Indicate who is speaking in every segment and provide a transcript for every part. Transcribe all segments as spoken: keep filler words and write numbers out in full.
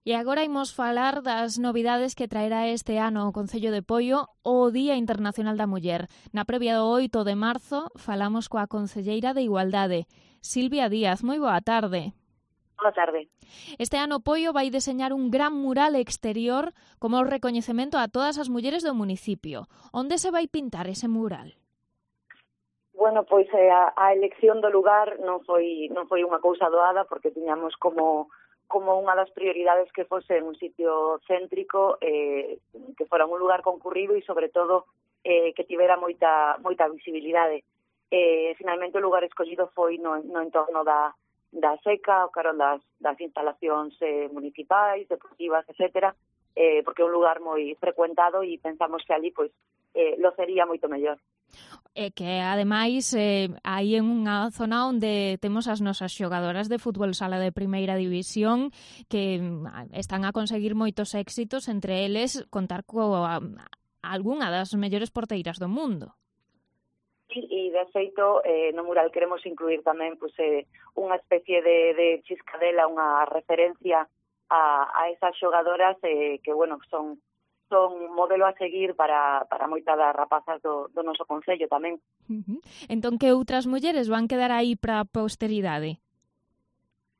Speaker 1: E agora imos falar das novidades que traerá este ano o Concello de Poio o Día Internacional da Muller. Na previa do oito de marzo falamos coa concelleira de Igualdade, Silvia Díaz. Moi boa tarde.
Speaker 2: Boa tarde.
Speaker 1: Este ano Poio vai deseñar un gran mural exterior como recoñecemento a todas as mulleres do municipio. Onde se vai pintar ese mural?
Speaker 2: Bueno, pois a, a elección do lugar non foi non foi unha cousa doada porque tiñamos como como unha das prioridades que fose un sitio céntrico, eh, que fora un lugar concurrido e, sobre todo, eh, que tivera moita moita visibilidade. Eh, finalmente, o lugar escollido foi no, no entorno da, da seca, o carón das, das instalacións eh, municipais, deportivas, etcétera, eh, porque é un lugar moi frecuentado e pensamos que ali pois, eh, lo sería moito mellor.
Speaker 1: E que, ademais, eh, aí en unha zona onde temos as nosas xogadoras de fútbol sala de primeira división que están a conseguir moitos éxitos, entre eles contar coa algunha das mellores porteiras do mundo.
Speaker 2: E, e de feito, eh, no mural queremos incluir tamén pues, eh, unha especie de, de chiscadela, unha referencia a, a esas xogadoras eh, que, bueno, son son modelo a seguir para, para moitas das rapazas do, do noso concello tamén.
Speaker 1: Uh-huh. Entón, que outras mulleres van quedar aí para a posteridade?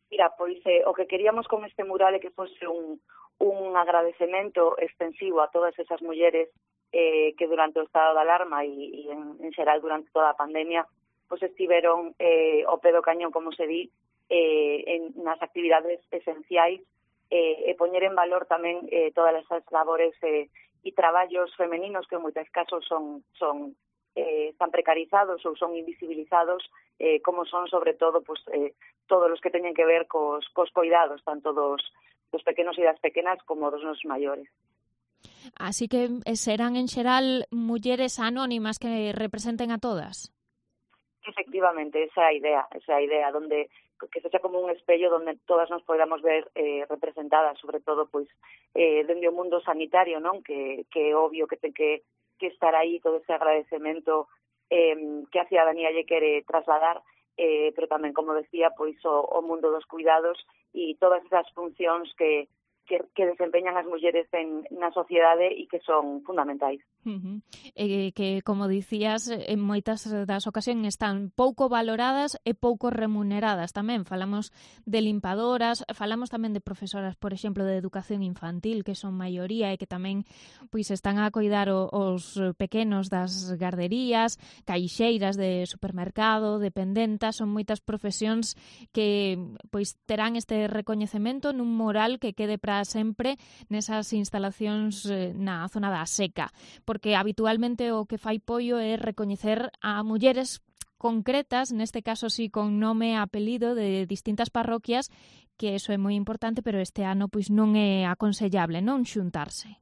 Speaker 2: Mira, pois eh, o que queríamos con este mural é que fose un, un agradecemento extensivo a todas esas mulleres eh, que durante o estado de alarma e, e en, en xeral durante toda a pandemia pois estiveron eh, ao pé do cañón, como se di, eh, en, nas actividades esenciais Eh, e poñer en valor tamén eh, todas esas labores eh, e traballos femeninos que en moitos casos son, son eh, tan precarizados ou son invisibilizados, eh, como son sobre todo pues, eh, todos os que teñen que ver cos, cos cuidados, tanto dos, dos pequenos e das pequenas como dos nosos maiores.
Speaker 1: Así que serán en xeral mulleres anónimas que representen a todas?
Speaker 2: Efectivamente, esa é a idea, esa é a idea, donde que sexa como un espello donde todas nos podamos ver eh, representadas, sobre todo pois eh, dende o mundo sanitario, non? Que, que é obvio que ten que, que estar aí todo ese agradecemento eh, que a cidadanía lle quere trasladar, eh, pero tamén, como decía, pois o, o mundo dos cuidados e todas esas funcións que Que, que desempeñan as mulleres en, na sociedade e que son fundamentais.
Speaker 1: Uh-huh. E que, como dicías, en moitas das ocasións están pouco valoradas e pouco remuneradas tamén. Falamos de limpadoras, falamos tamén de profesoras, por exemplo, de educación infantil, que son maioría e que tamén pois están a coidar o, os pequenos das garderías, caixeiras de supermercado, dependentas, son moitas profesións que pois terán este recoñecemento nun mural que quede para sempre nesas instalacións na zona da seca, porque habitualmente o que fai Poio é recoñecer a mulleres concretas, neste caso sí con nome e apelido de distintas parroquias, que eso é moi importante, pero este ano pois non é aconsellable non xuntarse.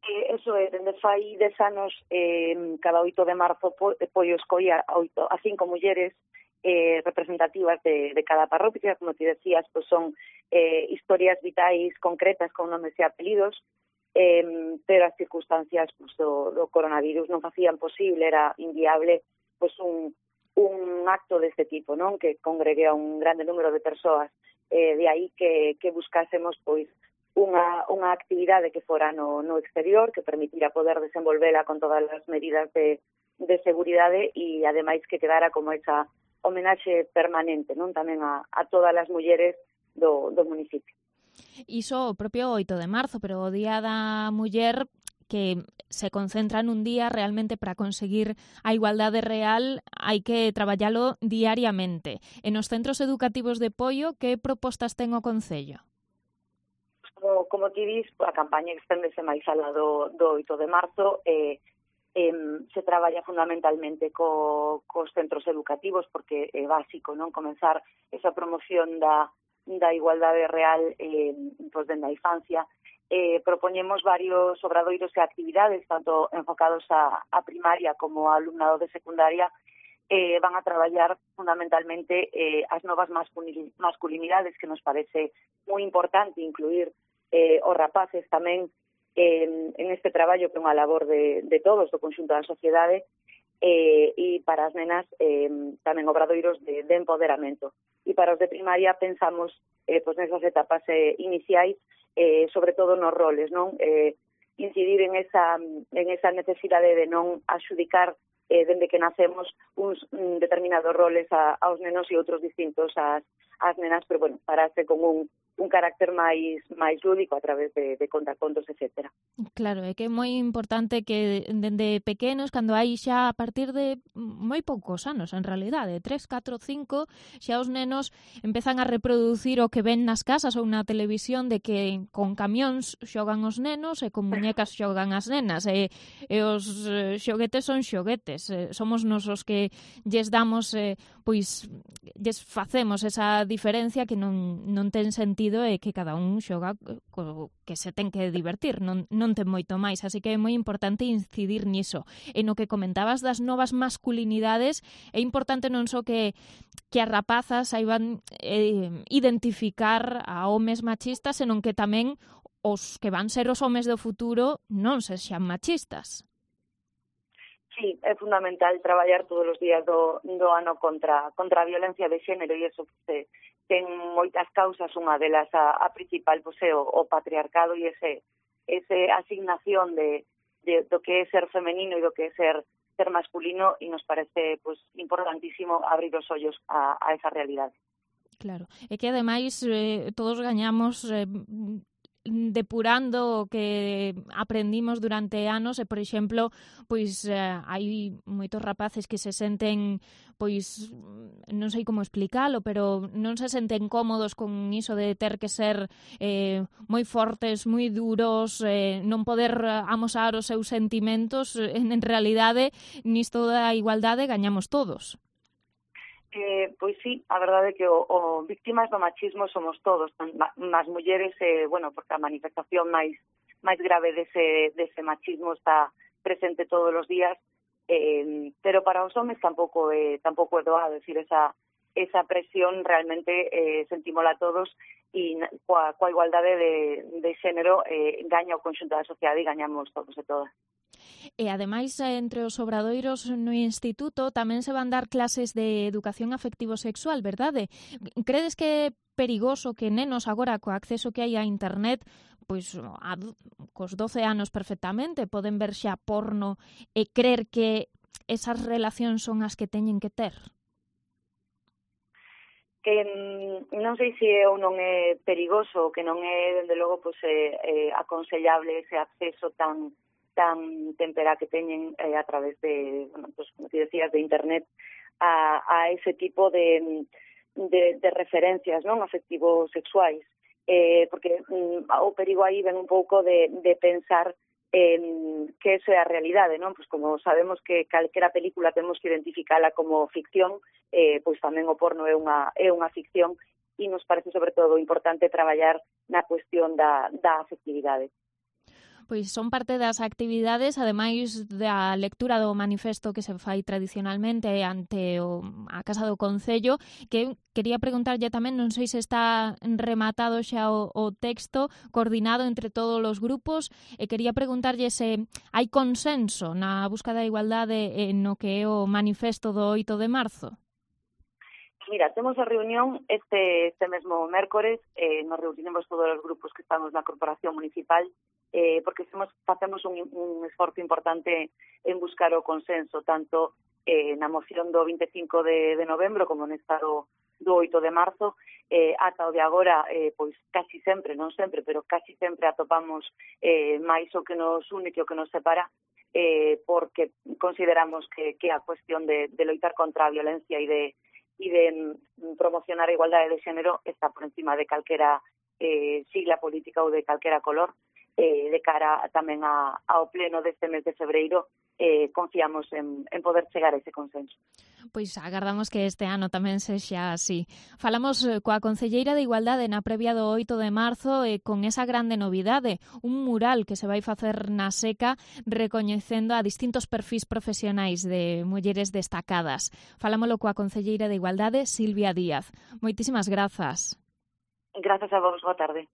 Speaker 2: Eh, eso é, dende fai dez anos, eh, cada oito de marzo Poio escolla a, oito, a cinco mulleres Eh, representativas de, de cada parroquia, como te decías, pues son eh, historias vitais concretas con nomes e apelidos, eh, pero as circunstancias pues, do, do coronavirus non facían posible, era inviable pues, un, un acto deste tipo, non? Que congregue a un grande número de persoas. Eh, de aí que, que buscásemos pois unha, unha actividade que fora no, no exterior, que permitira poder desenvolvela con todas as medidas de, de seguridade e, ademais, que quedara como esa homenaxe permanente, non, tamén a, a todas as mulleres do, do municipio.
Speaker 1: Iso o propio oito de marzo, pero o Día da Muller que se concentra nun día realmente para conseguir a igualdade real, hai que traballalo diariamente. E nos centros educativos de Poio, que propostas ten o Concello?
Speaker 2: Como, como ti dis, a campaña exténdese máis alá do, do oito de marzo, e eh, Eh, se traballa fundamentalmente co, cos centros educativos porque é básico non comenzar esa promoción da, da igualdade real eh, pues, dende a infancia. Eh, propoñemos varios obradoiros e actividades, tanto enfocados a, a primaria como a alumnado de secundaria, eh, van a traballar fundamentalmente eh, as novas masculinidades, que nos parece moi importante incluir eh, os rapaces tamén En, en este traballo que é unha labor de, de todos, do conxunto da sociedade, eh, e para as nenas eh, tamén obradoiros de, de empoderamento. E para os de primaria pensamos eh, pues nesas etapas eh, iniciais eh, sobre todo nos roles, non? Eh, incidir en esa, en esa necesidade de non axudicar eh, dende que nacemos uns mm, determinados roles a, aos nenos e outros distintos ás, ás nenas, pero bueno, pararse con un, un carácter máis máis lúdico a través de, de contacontos, etcétera.
Speaker 1: Claro, é que é moi importante que dende pequenos, cando hai xa a partir de moi poucos anos, en realidade, tres, catro, cinco, xa os nenos empezan a reproducir o que ven nas casas ou na televisión de que con camións xogan os nenos e con muñecas xogan as nenas e, e os eh, xoguetes son xoguetes, eh, somos nos os que lles damos, eh, pois, lles facemos esa diferencia que non, non ten sentido e que cada un xoga co que se ten que divertir, non, non ten moito máis, así que é moi importante incidir niso. E no que comentabas das novas masculinidades, é importante non só que, que as rapazas saiban eh, identificar a homes machistas, senón que tamén os que van ser os homes do futuro non sexan machistas.
Speaker 2: Sí, é fundamental traballar todos os días do, do ano contra, contra a violencia de xénero e iso se, ten moitas causas, unha delas a, a principal pois, é o, o patriarcado e ese, ese asignación de, de do que é ser femenino e do que é ser ser masculino e nos parece pois, importantísimo abrir os ollos a, a esa realidade.
Speaker 1: Claro, é que ademais eh, todos gañamos eh, depurando o que aprendimos durante anos e, por exemplo, pois eh, hai moitos rapaces que se senten, pois, non sei como explicalo, pero non se senten cómodos con iso de ter que ser eh, moi fortes, moi duros, eh, non poder amosar os seus sentimentos. En, en realidade, nisto da igualdade gañamos todos.
Speaker 2: Eh, pois sí, a verdade é que o, o víctimas do machismo somos todos, as mulleres, eh, bueno, porque a manifestación máis máis grave dese, dese machismo está presente todos os días, eh, pero para os homes tampouco é, tampouco é doado, decir, esa, esa presión realmente eh, sentímola todos e coa, coa igualdade de, de xénero eh, gaña o conxunto da sociedade e gañamos todos e todas.
Speaker 1: E, ademais, entre os obradoiros no instituto tamén se van dar clases de educación afectivo-sexual, verdade? Credes que é perigoso que nenos agora, co acceso que hai a internet, pois a, cos doce anos perfectamente, poden ver xa porno e crer que esas relacións son as que teñen que ter?
Speaker 2: Que non sei se é ou non é perigoso, que non é, dende logo, pois, é, é aconsellable ese acceso tan tan tempera que teñen eh, a través de, bueno, pues, como te decías, de internet a, a ese tipo de, de, de referencias, non, afectivos sexuais, eh, porque mm, o perigo aí ven un pouco de, de pensar en que eso é a realidade, non? Pues como sabemos que calquera película temos que identificala como ficción, eh, pois tamén o porno é unha, é unha ficción e nos parece sobre todo importante traballar na cuestión da, da afectividade.
Speaker 1: Pois son parte das actividades, ademais da lectura do manifesto que se fai tradicionalmente ante o, a Casa do Concello, que quería preguntarlle tamén, non sei se está rematado xa o, o texto, coordinado entre todos os grupos, e quería preguntarlle se hai consenso na busca da igualdade no que é o manifesto do oito de marzo.
Speaker 2: Mira, temos a reunión este, este mesmo mércores, eh, nos reunimos todos os grupos que estamos na Corporación Municipal, eh, porque hacemos, facemos un, un esforzo importante en buscar o consenso, tanto eh, na moción do vinte e cinco de, de novembro como nesta do, do oito de marzo, eh, ata o de agora, eh, pois casi sempre, non sempre, pero casi sempre atopamos eh, máis o que nos une que o que nos separa, eh, porque consideramos que, que a cuestión de, de loitar contra a violencia e de e de promocionar a igualdade de xénero está por encima de calquera eh, sigla política ou de calquera color. Eh, de cara tamén a, ao pleno deste mes de febreiro, eh, confiamos en, en poder chegar a ese consenso.
Speaker 1: Pois agardamos que este ano tamén sexa así. Falamos coa concelleira de Igualdade na previa do oito de marzo e con esa grande novidade, un mural que se vai facer na Seca recoñecendo a distintos perfis profesionais de mulleres destacadas. Falámolo coa concelleira de Igualdade, Silvia Díaz. Moitísimas grazas.
Speaker 2: Grazas a vos, boa tarde.